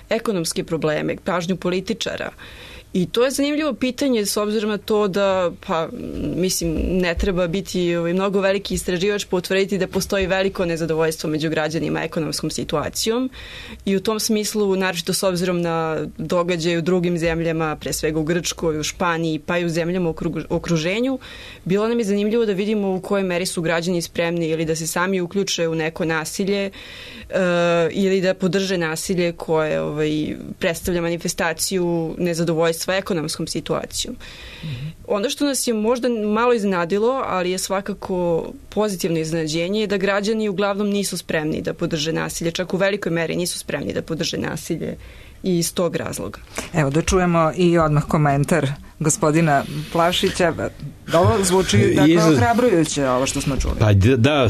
Speaker 4: ekonomske probleme, pažnju političara. I to je zanimljivo pitanje s obzirom na to da, ne treba biti mnogo veliki istraživač pa utvrditi da postoji veliko nezadovoljstvo među građanima ekonomskom situacijom i u tom smislu, naročito s obzirom na događaje u drugim zemljama, pre svega u Grčkoj, u Španiji, pa i u zemljama u okruženju, bilo nam je zanimljivo da vidimo u kojoj meri su građani spremni ili da se sami uključe u neko nasilje ili da podrže nasilje koje predstavlja manifestaciju nezadovoljstva ekonomskom situacijom. Ono što nas je možda malo iznenadilo, ali je svakako pozitivno iznenađenje, je da građani uglavnom nisu spremni da podrže nasilje, čak u velikoj meri nisu spremni da podrže nasilje i iz tog razloga.
Speaker 3: Evo da čujemo i odmah komentar gospodina Plavšića. Ovo zvuči ohrabrujuće, ovo što smo čuli.
Speaker 7: Pa da,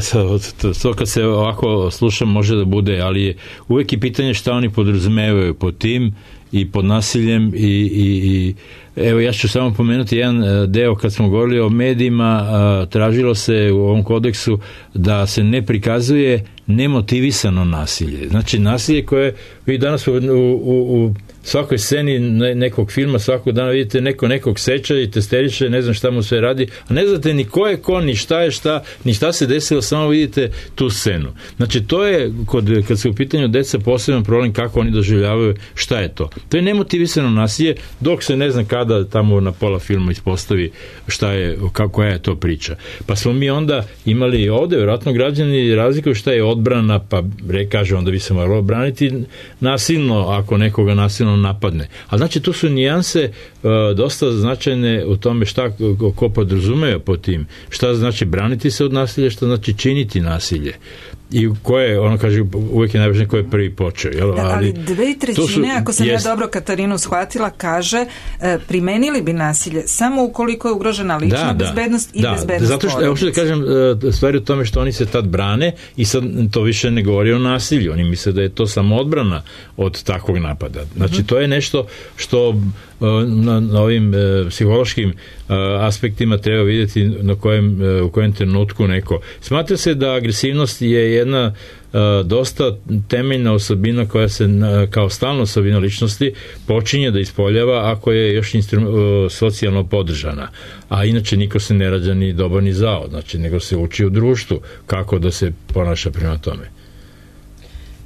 Speaker 7: to kad se ovako slušam može da bude, ali uvek je pitanje šta oni podrazumevaju pod tim i pod nasiljem i evo ja ću samo pomenuti jedan deo kad smo govorili o medijima, tražilo se u ovom kodeksu da se ne prikazuje nemotivisano nasilje. Znači nasilje koje vi danas u svakoj sceni nekog filma svakog dana vidite nekog seća i testeriše, ne znam šta mu sve radi, a ne znate ni ko je ko, ni šta je šta, ni šta se desilo, samo vidite tu scenu. Znači to je, kad se u pitanju deca, poseban problem kako oni doživljavaju šta je to. To je nemotivisano nasilje, dok se ne znam kada tamo na pola filma ispostavi šta je, koja je to priča. Pa smo mi onda imali ovde, vjerojatno građani razlikuju šta je odbrana, pa kaže onda bi se moralo braniti nasilno ako nekoga nasilno napadne. A znači tu su nijanse dosta značajne u tome šta ko podrazumeje po tim. Šta znači braniti se od nasilja, šta znači činiti nasilje. I ko je, ono kaže, uvijek je najvažnije ko je prvi počeo. Jel?
Speaker 3: Ali 2/3, ako sam ja dobro Katarinu shvatila, kaže primenili bi nasilje samo ukoliko je ugrožena lična bezbednost i bezbednost porodice. Zato što, što da kažem, stvari u tome što oni se tad brane i sad to više ne govori o nasilju. Oni misle da je to samo odbrana od takvog napada. Znači, to je nešto što na ovim psihološkim aspektima treba vidjeti u kojem trenutku neko. Smatra se da agresivnost je jedna dosta temeljna osobina koja se kao stalna osobina ličnosti počinje da ispoljava ako je još socijalno podržana. A inače niko se ne rađa ni dobar ni zao, znači nego se uči u društvu kako da se ponaša prema tome.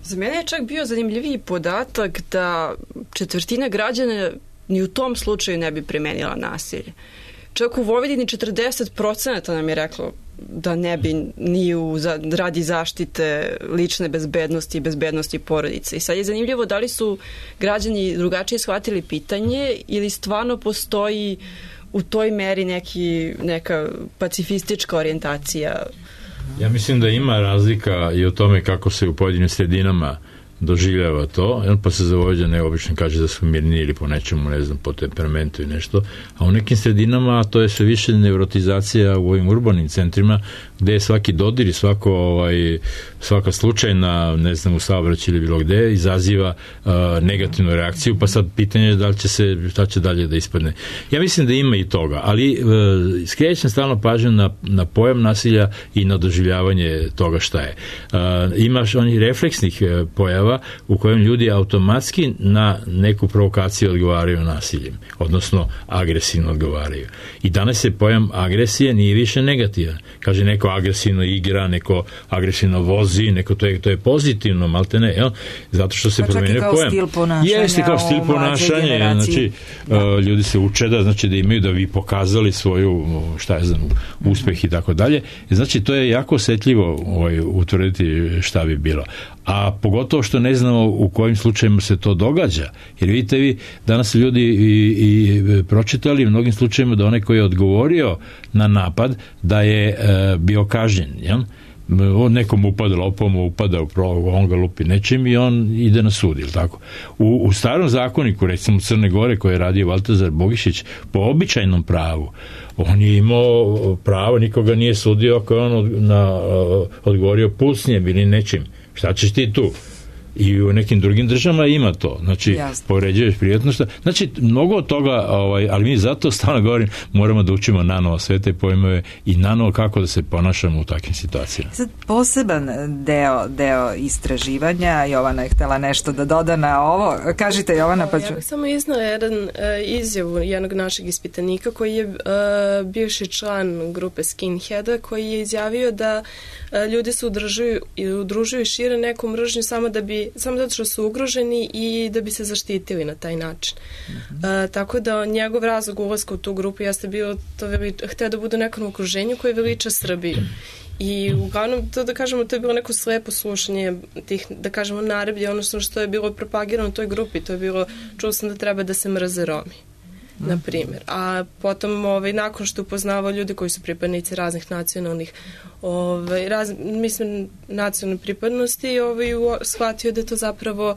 Speaker 4: Za mene je čak bio zanimljiviji podatak da 1/4 građana ni u tom slučaju ne bi primenila nasilje. Čak u Vojvodini 40% nam je reklo da ne bi ni radi zaštite lične bezbednosti i bezbednosti porodice. I sad je zanimljivo da li su građani drugačije shvatili pitanje ili stvarno postoji u toj meri neka pacifistička orijentacija.
Speaker 7: Ja mislim da ima razlika i o tome kako se u pojedinim sredinama doživljava to, pa se za Vojvođane obično kaže da su mirni ili po nečemu, ne znam, po temperamentu i nešto, a u nekim sredinama to je sve više nevrotizacija u ovim urbanim centrima gde je svaki dodir i svaka slučajna, ne znam, u saobraćaju ili bilo gde izaziva negativnu reakciju, pa sad pitanje je šta će dalje da ispadne. Ja mislim da ima i toga, ali skrećem stalno pažnju na pojam nasilja i na doživljavanje toga šta je. Imaš onih refleksnih pojava u kojem ljudi automatski na neku provokaciju odgovaraju nasiljem, odnosno agresivno odgovaraju. I danas se pojam agresije nije više negativan. Kaže neko agresivno igra, neko agresivno vozi, neko to je pozitivno, malte ne, jel? Zato što se promenio pojam. Jeste kao stil ponašanja, znači ljudi se uče da imaju da vi pokazali svoju, uspeh i tako dalje. Znači to je jako osetljivo utvrditi šta bi bilo. A pogotovo što što ne znamo u kojim slučajima se to događa. Jer vidite vi, danas ljudi i pročitali u mnogim slučajima da onaj koji je odgovorio na napad da je bio kažnjen, jel? On nekom upada lopom, upada on ga lupi nečim i on ide na sud, ili tako. U starom zakoniku, recimo Crne Gore, koje je radio Valtazar Bogišić, po običajnom pravu, on je imao pravo, nikoga nije sudio ako je on odgovorio pucnjem ili nečim. Šta ćeš ti tu? I u nekim drugim državama ima to. Znači, povređuješ privatnost. Znači, mnogo od toga, ali mi zato stalno govorim, moramo da učimo nanovo sve te pojmove i nanovo kako da se ponašamo u takvim situacijama.
Speaker 3: Sad, poseban deo istraživanja, Jovana je htjela nešto da doda na ovo. Kažite, Jovana, pa ću...
Speaker 6: Ja bih samo iznala jedan izjavu jednog našeg ispitanika koji je bivši član grupe Skinheada, koji je izjavio da ljudi se udružuju i šire neku mržnju samo zato što su ugroženi i da bi se zaštitili na taj način. Tako da njegov razlog ulaska u tu grupu jeste bilo hteo da bude u nekom okruženju koje veliča Srbiju. I uglavnom, to da kažemo, to je bilo neko slepo slušanje tih, da kažemo, naredbi, odnosno što je bilo propagirano u toj grupi, to je bilo, čuo sam da treba da se mrze Romi, na primjer. A potom, nakon što upoznavao ljudi koji su pripadnici raznih nacionalnih nacionalne pripadnosti, shvatio da to zapravo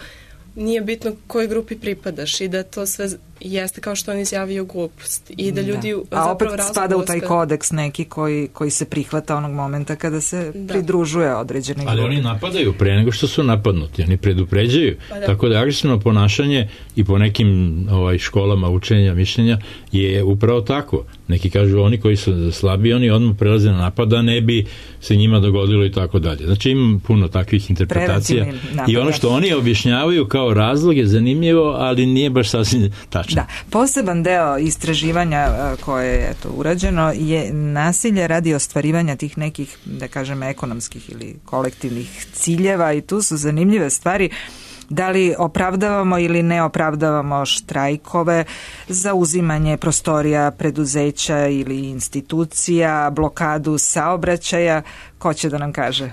Speaker 6: nije bitno kojoj grupi pripadaš i da to sve jeste, kao što on izjavio, glupost. I da ljudi
Speaker 3: a opet spada u taj kodeks neki koji se prihvata onog momenta kada se pridružuje određeni grupi.
Speaker 7: Ali oni napadaju pre nego što su napadnuti, oni predupređuju. Tako da agresivno ponašanje i po nekim školama učenja, mišljenja je upravo tako. Neki kažu oni koji su slabiji, oni odmah prelaze na napad, da ne bi se njima dogodilo i tako dalje. Znači ima puno takvih interpretacija i ono što oni objašnjavaju kao razlog je zanimljivo, ali nije baš sasvim tačno.
Speaker 3: Da, poseban deo istraživanja koje je urađeno je nasilje radi ostvarivanja tih nekih, da kažem, ekonomskih ili kolektivnih ciljeva i tu su zanimljive stvari. Da li opravdavamo ili ne opravdavamo štrajkove, zauzimanje prostorija preduzeća ili institucija, blokadu saobraćaja? Ko će da nam kaže?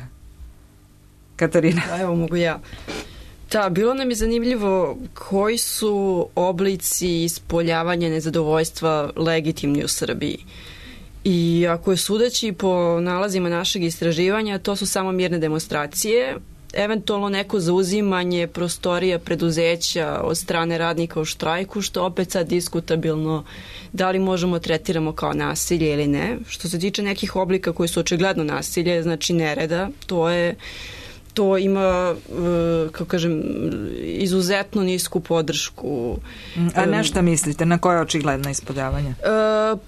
Speaker 3: Katarina?
Speaker 4: Evo, mogu ja. Da, bilo nam je zanimljivo koji su oblici ispoljavanja nezadovoljstva legitimni u Srbiji. I ako je sudeći po nalazima našeg istraživanja, to su samo mirne demonstracije, eventualno neko zauzimanje prostorija preduzeća od strane radnika u štrajku, što opet sad diskutabilno da li možemo tretiramo kao nasilje ili ne. Što se tiče nekih oblika koji su očigledno nasilje, znači nereda, to ima, kako kažem, izuzetno nisku podršku.
Speaker 3: A na šta mislite? Na koje očigledno ispoljavanje?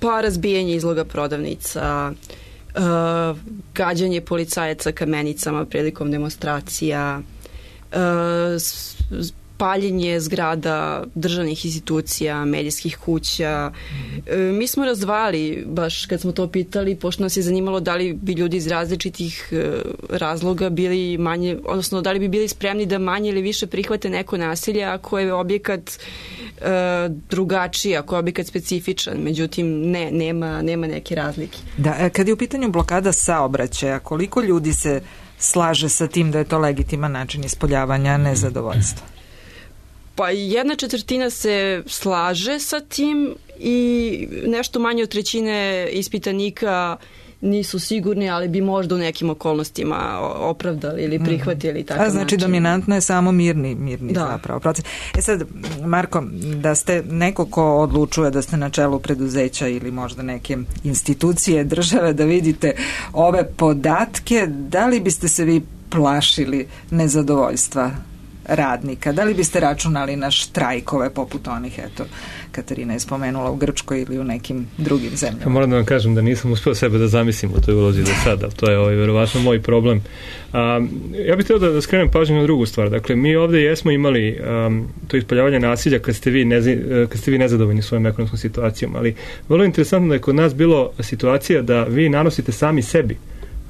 Speaker 4: Pa razbijanje izloga prodavnica, gađanje policajaca kamenicama prilikom demonstracija, paljenje zgrada državnih institucija, medijskih kuća. Mi smo razdvali, baš kad smo to pitali, pošto nas je zanimalo da li bi ljudi iz različitih razloga bili manje, odnosno da li bi bili spremni da manje ili više prihvate neko nasilje ako je objekat drugačiji, ako je objekat specifičan. Međutim, nema neke razlike.
Speaker 3: Da, kad je u pitanju blokada saobraćaja, koliko ljudi se slaže sa tim da je to legitiman način ispoljavanja nezadovoljstva?
Speaker 4: Pa 1/4 se slaže sa tim i nešto manje od 1/3 ispitanika nisu sigurni, ali bi možda u nekim okolnostima opravdali ili prihvatili takav način.
Speaker 3: Znači dominantno je samo mirni zapravo proces. Sad, Marko, da ste neko ko odlučuje da ste na čelu preduzeća ili možda neke institucije države, da vidite ove podatke, da li biste se vi plašili nezadovoljstva radnika? Da li biste računali na štrajkove poput onih, eto, Katarina je spomenula, u Grčkoj ili u nekim drugim zemljama?
Speaker 5: Ja moram da vam kažem da nisam uspio sebe da zamislim u toj ulozi do sada, to je verovatno moj problem. Ja bih htio da skrenem pažnju na drugu stvar. Dakle, mi ovdje jesmo imali to ispoljavanje nasilja kad ste vi nezadovoljni svojom ekonomskom situacijom, ali vrlo interesantno da je kod nas bilo situacija da vi nanosite sami sebi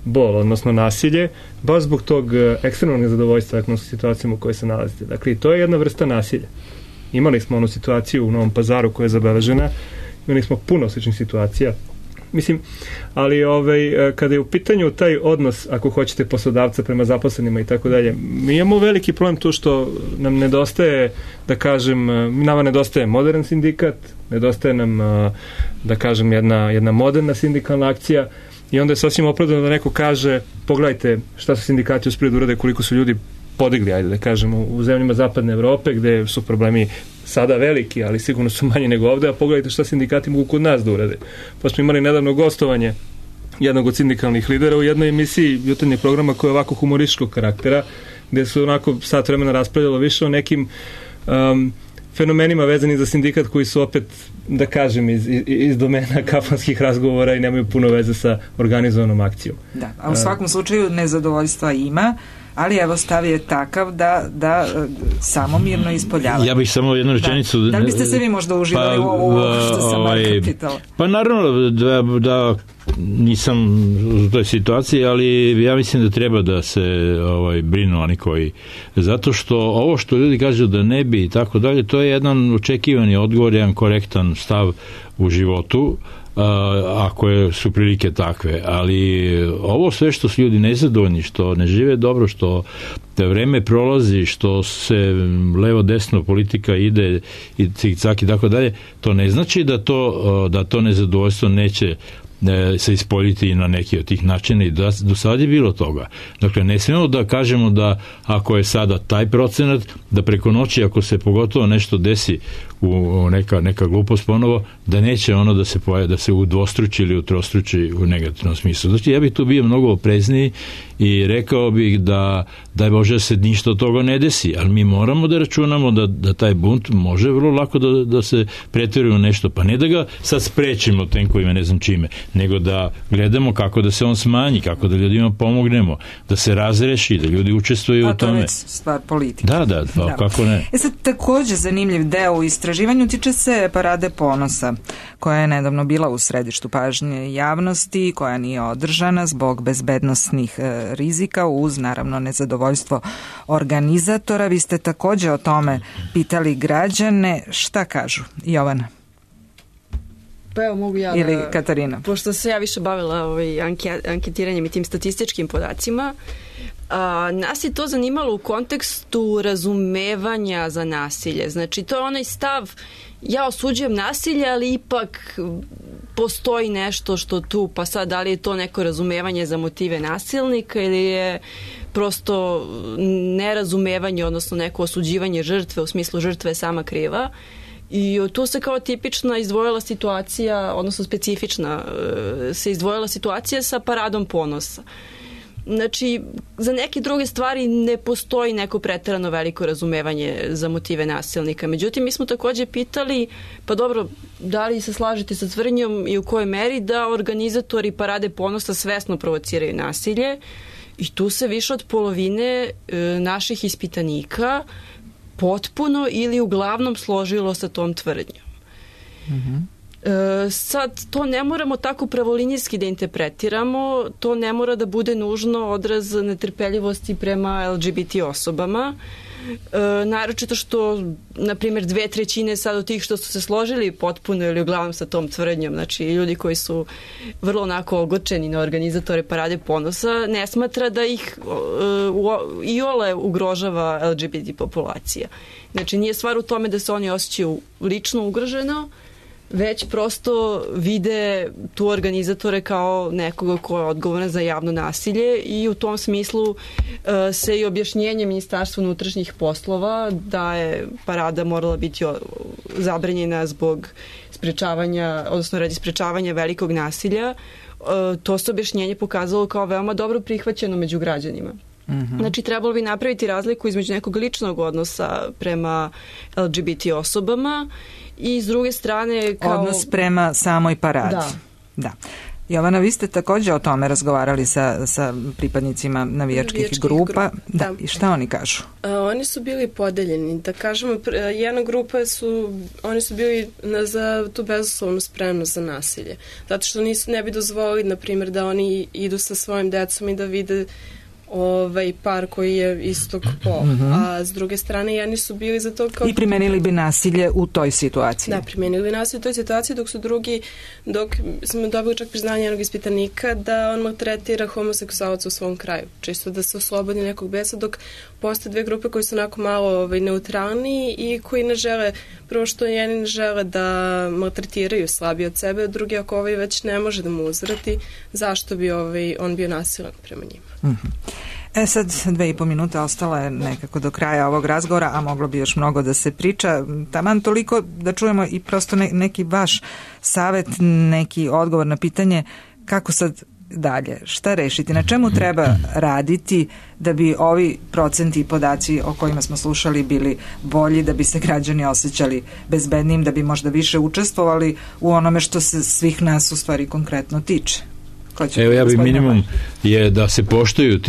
Speaker 5: bol, odnosno nasilje, baš zbog tog ekstremnog nezadovoljstva ekonomskom situacijom u kojoj se nalazite. Dakle, to je jedna vrsta nasilja. Imali smo onu situaciju u Novom Pazaru koja je zabeležena, imali smo puno sličnih situacija Mislim, ali kada je u pitanju taj odnos, ako hoćete, poslodavca prema zaposlenima i tako dalje, mi imamo veliki problem to što nam nedostaje, da kažem, nama nedostaje modern sindikat, nedostaje nam, da kažem, jedna moderna sindikalna akcija, i onda je sasvim opravdano da neko kaže, pogledajte šta su sindikati uspeli da urade, koliko su ljudi podigli, ajde da kažemo, u zemljama zapadne Evrope, gde su problemi sada veliki, ali sigurno su manji nego ovde, a pogledajte šta sindikati mogu kod nas da urade. Pa smo imali nedavno gostovanje jednog od sindikalnih lidera u jednoj emisiji jutarnjeg programa koja je ovako humorističkog karaktera, gde su onako sat vremena raspravljalo više o nekim fenomenima vezani za sindikat koji su opet, da kažem, iz domena kafanskih razgovora i nemaju puno veze sa organizovanom akcijom.
Speaker 3: Da, a u svakom slučaju nezadovoljstva ima, ali evo stav je takav da samomirno ispoljavaju.
Speaker 7: Ja bih samo jednu rečenicu...
Speaker 3: Da li biste se vi možda uživali u ovo što sam Marka pitala?
Speaker 7: Pa naravno da nisam u toj situaciji, ali ja mislim da treba da se brinu oni koji... Zato što ovo što ljudi kažu da ne bi i tako dalje, to je jedan očekivani odgovor, jedan korektan stav u životu, ako su prilike takve, ali ovo sve što su ljudi nezadovoljni, što ne žive dobro, što vreme prolazi, što se levo desno politika ide i cik-cak i tako dalje, to ne znači da to nezadovoljstvo neće se ispoljiti na neki od tih načina i do sada je bilo toga. Dakle, ne smijemo da kažemo da ako je sada taj procenat, da preko noći ako se pogotovo nešto desi u neka glupost ponovo, da neće ono da se udvostruči ili utrostruči u negativnom smislu. Znači, ja bih tu bio mnogo oprezniji i rekao bih da daj Bože da se ništa od toga ne desi, ali mi moramo da računamo da taj bunt može vrlo lako da se pretvori u nešto, pa ne da ga sad sprečimo tenkovima, ne znam čime, nego da gledamo kako da se on smanji, kako da ljudima pomognemo, da se razreši, da ljudi učestvuju u tome.
Speaker 3: A to je stvar politike.
Speaker 7: Da, kako ne.
Speaker 3: Sad, takođe zanimljiv deo u istraživanju tiče se Parade ponosa, koja je nedavno bila u središtu pažnje javnosti, koja nije održana zbog bezbednosnih rizika, uz naravno nezadovoljstvo organizatora. Vi ste takođe o tome pitali građane. Šta kažu? Jovana?
Speaker 4: Pa evo, mogu ja
Speaker 3: ili Katarina?
Speaker 4: Pošto se ja više bavila anketiranjem i tim statističkim podacima, nas je to zanimalo u kontekstu razumevanja za nasilje. Znači, to je onaj stav, ja osuđujem nasilje, ali ipak postoji nešto što tu, pa sad da li je to neko razumevanje za motive nasilnika ili je prosto nerazumevanje, odnosno neko osuđivanje žrtve, u smislu žrtve je sama kriva. I tu se kao tipična izdvojila situacija, odnosno specifična se izdvojila situacija sa Paradom ponosa. Znači, za neke druge stvari ne postoji neko preterano veliko razumevanje za motive nasilnika. Međutim, mi smo takođe pitali, pa dobro, da li se slažete sa tvrdnjom i u kojoj meri da organizatori Parade ponosa svesno provociraju nasilje, i tu se više od polovine naših ispitanika potpuno ili uglavnom složilo sa tom tvrdnjom. Sad, to ne moramo tako pravolinijski da interpretiramo, to ne mora da bude nužno odraz netrpeljivosti prema LGBT osobama, naročito što, na primjer, 2/3 sad od tih što su se složili potpuno ili uglavnom sa tom tvrdnjom, znači ljudi koji su vrlo onako ogorčeni na organizatore Parade ponosa, ne smatra da ih iole ugrožava LGBT populacija. Znači, nije stvar u tome da se oni osjećaju lično ugroženo, već prosto vide tu organizatore kao nekoga ko je odgovoran za javno nasilje, i u tom smislu se i objašnjenje Ministarstva unutrašnjih poslova da je Parada morala biti zabranjena zbog sprečavanja, odnosno radi sprečavanja velikog nasilja, to se objašnjenje pokazalo kao veoma dobro prihvaćeno među građanima. Znači, trebalo bi napraviti razliku između nekog ličnog odnosa prema LGBT osobama i s druge strane kao...
Speaker 3: Odnos prema samoj paradi. Da. Jovana, vi ste takođe o tome razgovarali sa pripadnicima navijačkih grupa. Da. I šta oni kažu?
Speaker 6: Oni su bili podeljeni. Da kažemo, jedna grupa oni su bili za tu bezuslovnu spremnost za nasilje. Zato što ne bi dozvolili, na primjer, da oni idu sa svojim decom i da vide par koji je istog pola. A s druge strane, jedni su bili za to kao...
Speaker 3: I primenili bi nasilje u toj situaciji.
Speaker 6: Da, primenili bi nasilje u toj situaciji, dok smo dobili čak priznanje jednog ispitanika da on maltretira homoseksualca u svom kraju. Čisto da se oslobodi nekog besa, dok postoje dve grupe koji su onako malo neutralniji i koji ne žele, prvo što jedni ne žele da maltretiraju slabije od sebe, a drugi ako već ne može da mu uzvrati, zašto bi on bio nasilan prema njima.
Speaker 3: Sad 2,5 minute ostala je nekako do kraja ovog razgovora, a moglo bi još mnogo da se priča. Taman toliko da čujemo i prosto neki vaš savet, neki odgovor na pitanje kako sad dalje, šta rešiti, na čemu treba raditi da bi ovi procenti i podaci o kojima smo slušali bili bolji, da bi se građani osjećali bezbednim, da bi možda više učestvovali u onome što se svih nas u stvari konkretno tiče.
Speaker 7: Evo, ja bi minimum je da se poštuju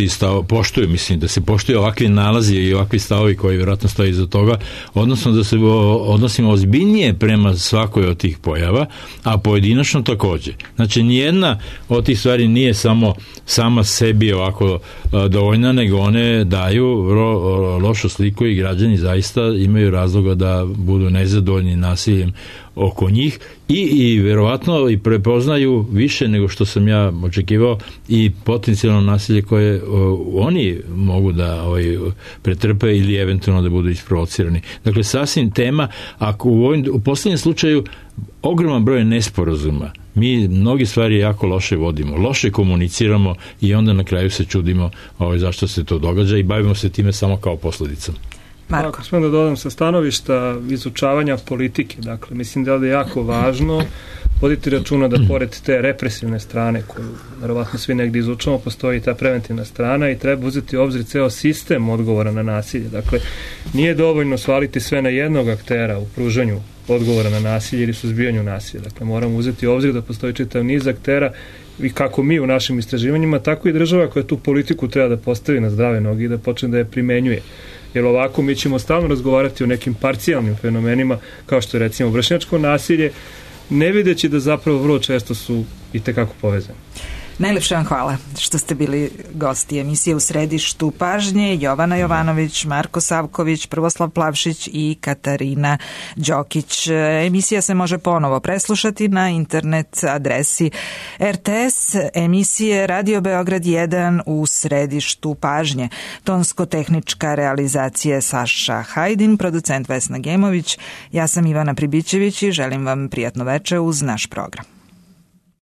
Speaker 7: da se poštuju ovakvi nalazi i ovakvi stavovi koji vjerojatno stoji iza toga, odnosno da se odnosimo ozbiljnije prema svakoj od tih pojava, a pojedinačno takođe. Znači, nijedna od tih stvari nije sama sebi ovako dovoljna, nego one daju lošu sliku i građani zaista imaju razloga da budu nezadovoljni nasiljem oko njih i verovatno i prepoznaju više nego što sam ja očekivao i potencijalno nasilje koje oni mogu da pretrpe ili eventualno da budu isprovocirani. Dakle, sasvim tema, ako u poslednjem slučaju ogroman broj nesporazuma, mi mnogi stvari jako loše vodimo, loše komuniciramo i onda na kraju se čudimo zašto se to događa i bavimo se time samo kao posledicom.
Speaker 3: Marko.
Speaker 5: Ako smem da dodam sa stanovišta izučavanja politike, dakle, mislim da je jako važno voditi računa da pored te represivne strane koju verovatno svi negdje izučamo, postoji ta preventivna strana i treba uzeti u obzir ceo sistem odgovora na nasilje. Dakle, nije dovoljno svaliti sve na jednog aktera u pružanju odgovora na nasilje ili suzbijanju nasilja. Dakle, moramo uzeti u obzir da postoji čitav niz aktera i kako mi u našim istraživanjima, tako i država koja tu politiku treba da postavi na zdrave noge i da počne da je primenjuje. Jer ovako mi ćemo stalno razgovarati o nekim parcijalnim fenomenima, kao što je recimo vršnjačko nasilje, ne videći da zapravo vrlo često su i tekako povezani.
Speaker 3: Najlepše vam hvala što ste bili gosti emisije U središtu pažnje. Jovana Jovanović, Marko Savković, Prvoslav Plavšić i Katarina Đokić. Emisija se može ponovo preslušati na internet adresi RTS, emisije Radio Beograd 1 U središtu pažnje. Tonsko-tehnička realizacija Saša Hajdin, producent Vesna Gemović. Ja sam Ivana Pribićević i želim vam prijatno veče uz naš program.